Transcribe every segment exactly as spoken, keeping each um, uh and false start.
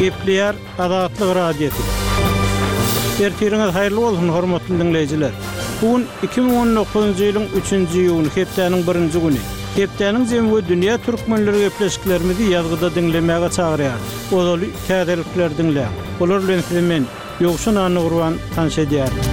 Gepleýär Azatlyk Radiosy. Ertiriňiz haýyrly bolsun, hormatly diňleýjiler. Bu gün iki müň on dokuzynjy ýylyň üçünji iýuny, hepdäniň birinji güni. Hepdäniň jemi we dünýä türkmenleri gepleşiklerimizi ýazgyda diňlemäge çagyrýarys. Ozaly täzelikleri diňläň. Olar bilen sizi men, Ýowşan Annagurban tanyş edýärin.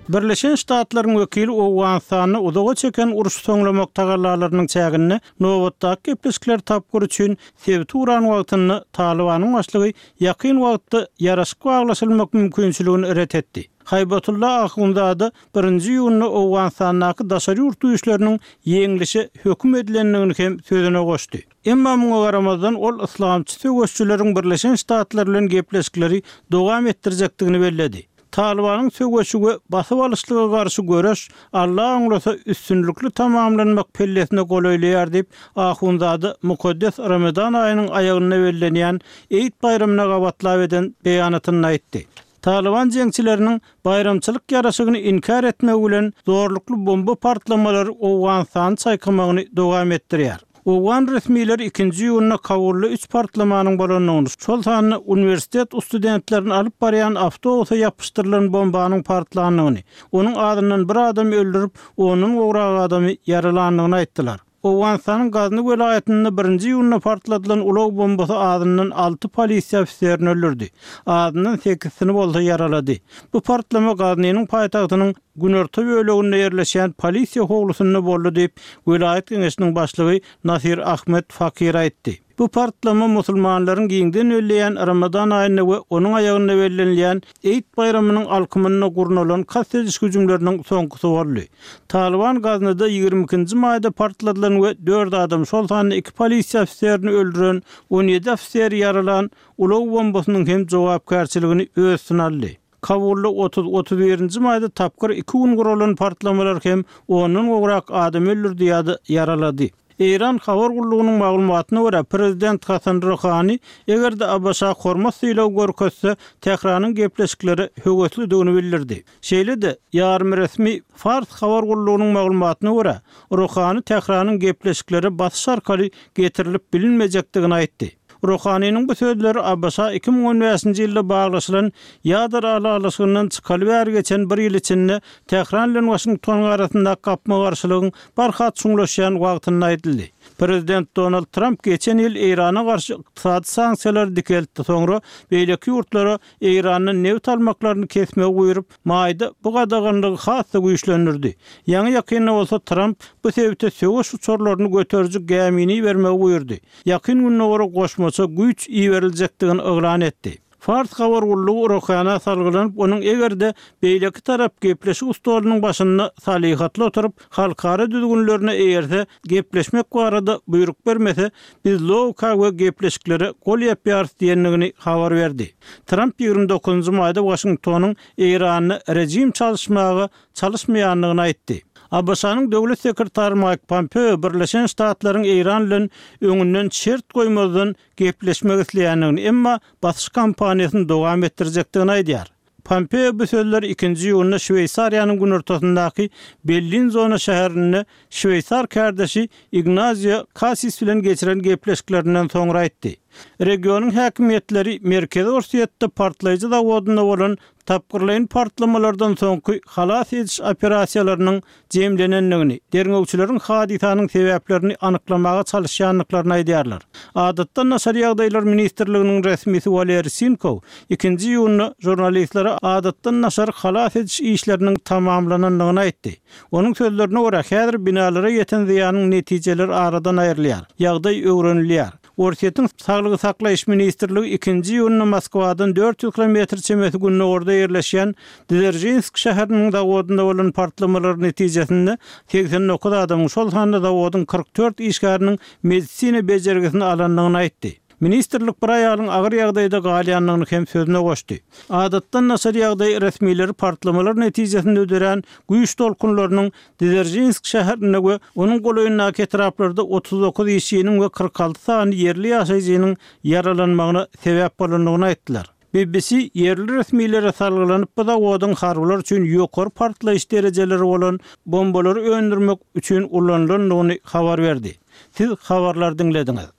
Birleşen Ştatlaryň wekili Owganystanda uzaga çeken uruş soňlamak tagallalarynyň çäginde nobatdaky gepleşikler tapgyry üçin sebiti uran wagtynda Talybanyň başlygy ýakyn wagtda ýaraşyk baglaşylmak mümkinçiligini ret etdi. Haýbatullah Ahunzada birinji iýunda Owganystandaky daşary ýurt güýçleriniň ýeňlişe höküm edilendigini hem sözüne goşdy. Emma muňa garamazdan ol yslamçy söweşçileriň Birleşen Ştatlar bilen gepleşikleri dowam etdirjekdigini belledi. Talybanyň söweşi we basyp alyşlyga garşy göreş Allah oňlasa üstünlikli tamamlanmak pellesine golaýlaýar diýip, Ahunzada mukaddes Ramazan aýynyň aýagynda bellenýän Eid baýramyna gabatlap eden beýanatynda aýtdy. Talyban jeňçileriniň baýramçylyk ýaraşygyny inkär etmegi bilen zorlukly bomba partlamalary Owganystany çaýkamagyny dowam etdirýär. Owgan resmileri ikinji iýunda Kabulda üç partlamanyň bolandygyny, şol sanda uniwersitet studentlerini alyp barýan awtobusa ýapyşdyrylan bombanyň partlandygyny, onuň azyndan bir adamy öldürip, ondan gowrak adamy ýaralandygyny aýtdylar. Owganystanyň Gazny welaýatynda birinji iýunda partladylan ulag bombasy azyndan alty polisiýa ofiserini öldürdi. Azyndan sekizsini bolsa ýaralady. Bu partlama Gaznynyň paýtagtynyň günorta böleginde ýerleşýän polisiýa howlusynda boldy diýip, welaýat geňeşiniň başlygy Nasir Ahmed Fakir aýtdy. Bu partlama musulmanlaryň giňden belleýän Ramazan aýynda we onuň aýagynda bellenilýän Eid baýramynyň alkymynda gurnalan kast ediş hüjümleriniň soňkusy boldy. Talyban Gaznyda ýigrimi ikinji maýda partladylan we dört adam, şol sanda iki polisiýa ofiserini öldüren, on ýedi ofiseri ýaralan ulag bombasynyň hem jogapkärçiligini öz üstüne aldy. Kabulda otuz, otuz birinji maýda tapgyr iki gün guralan partlamalar hem ondan gowrak adam öldürdi ýa-da ýaralady. Eýran habar gullugynyň maglumatyna görä, prezident Hasan Ruhani eger-de ABŞ hormat sylagy görkezse, Tähranyň gepleşiklere höweslidigini bildirdi. Şeýle-de, ýarym resmi Fars habar gullugynyň maglumatyna görä, Ruhani Tähranyň gepleşiklere basyş arkaly getirilip bilinmejekdigini aýtdy. Ruhaniniň bu sözleri ABŞ iki müň on bäşinji ýylda baglaşylan ýadro ylalaşygyndan çykaly bäri geçen bir ýyl içinde Tähran bilen Waşingtonyň arasyndaky gapma-garşylygyň barha çuňlaşýan wagtynda aýdyldy. Prezident Donald Tramp geçen ýyl Eýrana garşy ykdysady sanksiýalary dikeltdi, soňra beýleki ýurtlara Eýrandan nebit almaklaryny kesmegi buýrup, maýda bu gadaganlygy has-da güýçlendirdi. Ýaňy ýakynda bolsa Tramp bu sebite söweş uçarlaryny göteriji gämini ibermegi buýurdy. Ýakyn gündogara goşmaça güýç iberiljekdigini yglan etdi. Fars habar gullugy Ruhana salgylanyp, onuň eger-de beýleki tarap gepleşik stolunyň başynda salyhatly oturyp, halkara düzgünlerine eýerse, gepleşmek barada buýruk bermese, biz logika we gepleşiklere gol ýapýarys diýendigini habar berdi. Tramp ýigrimi dokuzynjy maýda Waşingtonyň Eýranda rejim çalyşmaga çalyşmaýandygyny aýtdy. ABŞ-nyň döwlet sekretary Maýk Pompeo Birleşen Ştatlaryň Eýran bilen öňünden şert goýmazdan gepleşmek isleýändigini, emma basyş kampaniýasyny dowam etdirjekdigini aýdýar. Pompeo bu sözleri ikinji iýunda Şweýsariýanyň günortasyndaky Bellinzona şäherinde şweýsar kärdeşi Ignazio Kassis bilen geçiren gepleşiklerinden soňra aýtdy. Regionyň häkimiýetleri Merkezi Orsýetde partlaýjy zawodynda bolan tapgyrlaýyn partlamalardan soňky halas ediş operasiýalarynyň jemlenendigini, derňewçileriň hadysanyň sebäplerini anyklamaga çalyşýandyklaryny aýdýarlar. Adatdan daşary ýagdaýlar ministrliginiň resmisi Waleri Sinkow ikinji iýunda žurnalistlere adatdan daşary halas ediş işleriniň tamamlanandygyny aýtdy. Onuň sözlerine görä, häzir binalara ýeten zyýanyň netijeleri aradan aýrylýar, ýagdaý öwrenilýär. Orsýetiň Saglygy saklaýyş ministrligi ikinji iýunda Moskwadan dört ýüz kilometr çemesi gündogarda ýerleşýän Dzeržinsk şäheriniň zawodynda bolan partlamalar netijesinde segsen dokuz adamyň, şol sanda zawodyň kyrk dört işgäriniň medisina bejergisini alandygyny aýtdy. Ministrlik bir aýalyň agyr ýagdaýda galýandygyny hem sözüne goşdy. Adatdan daşary ýagdaý resmileri partlamalar netijesinde dörän güýç tolkunlarynyň Dzeržinsk şäherinde we onuň golaýyndaky etraplarda otuz dokuz işçiniň we kyrk alty sany ýerli ýaşaýjynyň ýaralanmagyna sebäp bolandygyny aýtdylar. B B C ýerli resmilere salgylanyp, bu zawodyň harbylar üçin ýokary partlaýyş derejeleri bolan bombalary öndürmek üçin ulanylandygyny habar berdi. Siz habarlary diňlediňiz.